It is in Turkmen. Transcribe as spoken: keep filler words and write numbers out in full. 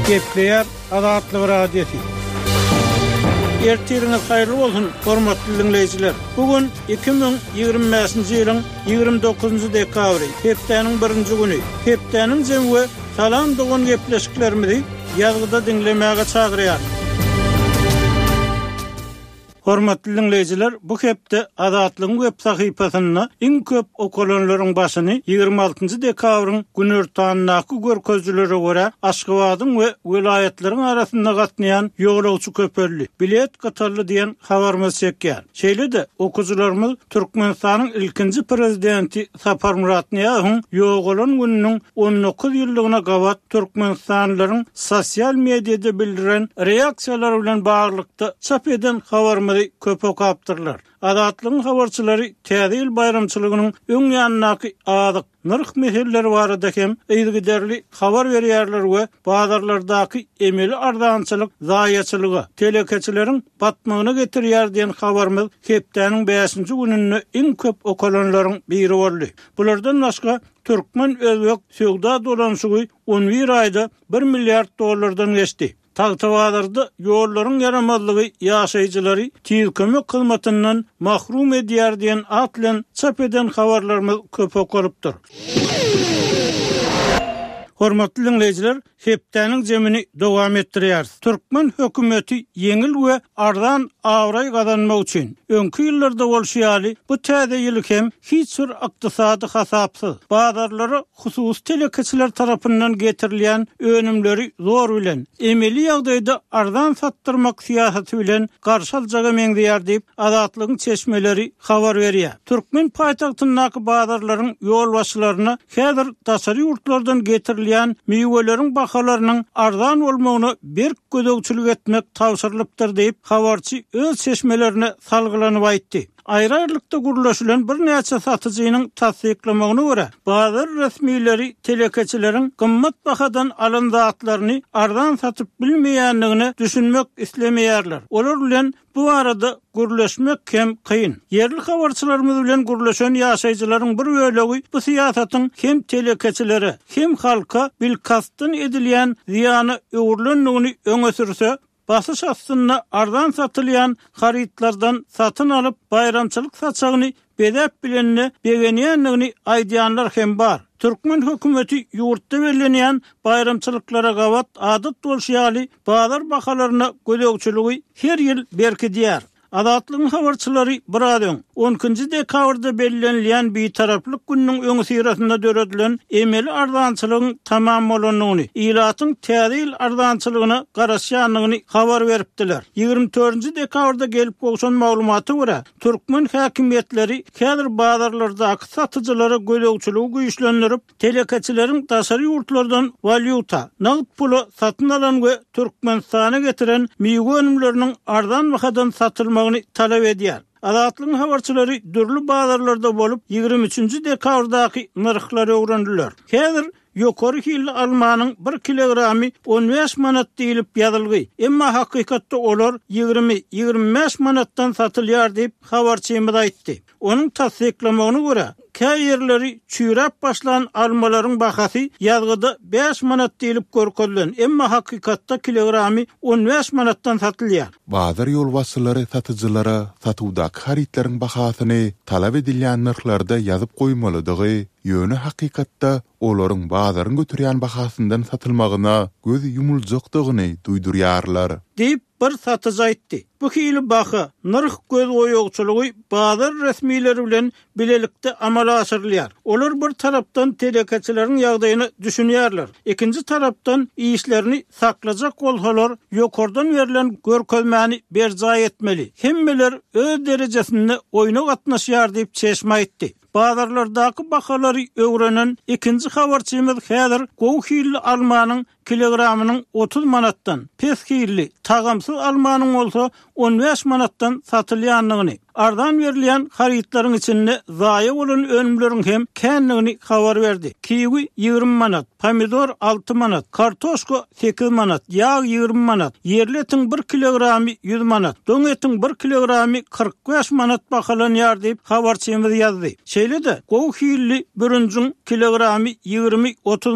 Gepleýär Azatlyk Radiosy. Ertiriňiz haýyrly bolsun, hormatly diňleýjiler. Bu gün iki müň ýigrimi bäşinji ýylyň ýigrimi dokuzynjy dekabry, hepdäniň birinji güni. Hepdäniň jemi we Salam dogan gepleşiklerimizi ýazgyda diňlemäge çagyrýar. Hormatly diňleýjiler, bu hepde Azatlygyň web sahypasynda iň köp okalanlaryň başyny ýigrimi altynjy dekabryň günortandaky görkezijilere görä Aşgabadyň we welaýatlaryň arasynda gatnaýan ýolagçy köpeldi, bilet gytaldy diýen habarymyz çekýär. Şeýle-de okyjylarymyz Türkmenistanyň ilkinji prezidenti Saparmyrat Nyýazowyň ýogalan gününiň on dokuz ýyllygyna gabat Türkmenistanlylaryň sosial mediada bildiren reaksiýalary bilen baglylykda çap eden habarymyzy köp okapdyrlar. Azatlygyň habarçylary Täze ýyl baýramçylygynyň öň ýanyndaky azyk nyrh meseleleri barada hem yzygiderli habar berýärler we bazarlardaky emeli arzançylyk zaýaçylyga, telekeçileriň batmagyna getirýär diýen habarymyz hepdäniň bäşinji gününde iň köp okalanlaryň biri boldy. Bulardan başga Türkmen-Özbek söwda dolanşygy on bir aýda bir milliard dollardan geçdi. Tagtabazarda ýollaryň ýaramazlygy ýaşaýjylary tiz kömek hyzmatyndan mahrum edýär diýen at bilen çap eden habarlarymyz köp okalypdyr. Hormatly diňleýjiler, hepdäniň jemini dowam etdirýäris. Türkmen hökümeti ýeňil we arzan abraý gazanmak üçin öňki ýyllarda bolşy ýaly bu täze ýyly hem hiç bir ykdysady hasapsyz bazarlara hususy telekeçiler tarapyndan getirilýän önümleri zor bilen emeli ýagdaýda arzan satdyrmak syýasaty bilen garşy aljaga meňzeýär diýip Azatlygyň çeşmeleri habar berýär. Türkmen paýtagtyndaky bazarlaryň ýolbaşçylaryna häzir daşary ýurtlardan getirilýän miweleriň bahalarynyň arzan bolmagyna berk gözegçilik etmek tabşyrylypdyr diýip habarçy öz çeşmelerine salgylanyp aýtdy. Aýry-aýrylykda gurlaşylan birnäçe satyjynyň tassyklamagyna görä, bazar resmileri telekeçileriň gymmat bahadan alan zatlaryny arzan satyp bilmeýändigine düşünmek islemeýärler. Olar bilen bu arada gürleşmek hem kyn. Ýerli habarçylarymyz bilen gürleşen ýaşaýjylaryň bir bölegi bu syýasatyň hem telekeçilere, hem halka bilkastdan edilýän zyýana öwrülendigini öňe sürse, basyş astynda arzan satylýan harytlardan satyn alyp baýramçylyk saçagyny bezäp bilenine begenýändigini aýdýanlar hem bar. Türkmen hökümeti ýurtda bellenýän baýramçylyklara gabat adat bolşy ýaly bazar bahalaryna gözegçiligi her ýyl berkidýär. Azatlygyň habarçylary biraz öň on ikinji dekabrda bellenilýän bitaraplyk gününiň öňi syrasynda döredilen emeli arzançylygyň tamam bolandygyny, ilatyň täze ýyl arzançylygyna garaşýandygyny habar beripdiler. Ýigrimi dördünji dekabrda gelip gowşan maglumata görä, türkmen häkimiýetleri häzir bazarlardaky satyjylara gözegçiligi güýçlendirip, telekeçileriň daşary ýurtlardan walýuta, nagt pula satyn alan we Türkmenistana getiren miwe önümleriniň arzan bahadan satylmagyny talap edýär. Azatlygyň habarçylary dürli bazarlarda bolup, ýigrimi üçünji dekabrdaky nyrhlary öwrendiler. Häzir ýokary hilli almanyň bir kilogramy on bäş manat diýilip ýazylgy. Emma hakykatda olar ýigrimi, ýigrimi bäş manatdan satylýar diýip habarçymyz aýtdy. Onuň tassyklamagyna görä, käýerleri çüýräp başlan almalaryň bahasy ýazgyda bäş manat diýilip görkezilen, emma hakykatda kilogramy on bäş manatdan satylýar. Bazar ýolbaşçylary satyjylara satuwdaky harytlaryň bahasyny talap edilýän nyrhlarda ýazyp goýmalydygy, ýöne hakykatda olaryň bazaryň götürýän bahasyndan satylmagyna göz ýumuljakdygyny duýdurýarlar. Diýip bir satyjy aýtdy. Bu hili baha, nyrh göz goýugçylygy bazar resmileri bilen bilelikde amala aşyrylýar. Olar bir tarapdan telekeçileriň ýagdaýyny düşünýärler. Ikinji tarapdan işlerini saklajak bolsalar, ýokardan berlen görkezmäni berjaý etmeli. Hemmeler öz derejesinde oýna gatnaşýar diýip çeşme aýtdy. Bazarlardaky bahalary öwrenen ikinji habarçymyz häzir gowy hilli almanyň kilogramynyň otuz manatdan, pes hilli, tagamsyz almanyň bolsa on bäş manatdan satylýandygyny, arzan berilýän harytlaryň içinde zaýa bolan önümleriň hem kändigini habar berdi. Kiwi ýigrimi manat, pomidor alty manat, kartoşka sekiz manat, ýag ýigrimi manat, ýerli etiň bir kilogramy ýüz manat, doň etiň bir kilogramy kyrk bäş manat bahalanýar diýip habarçymyz ýazdy. Şeýle-de gowy hilli bürünjiň kilogramy ýigrimi otuz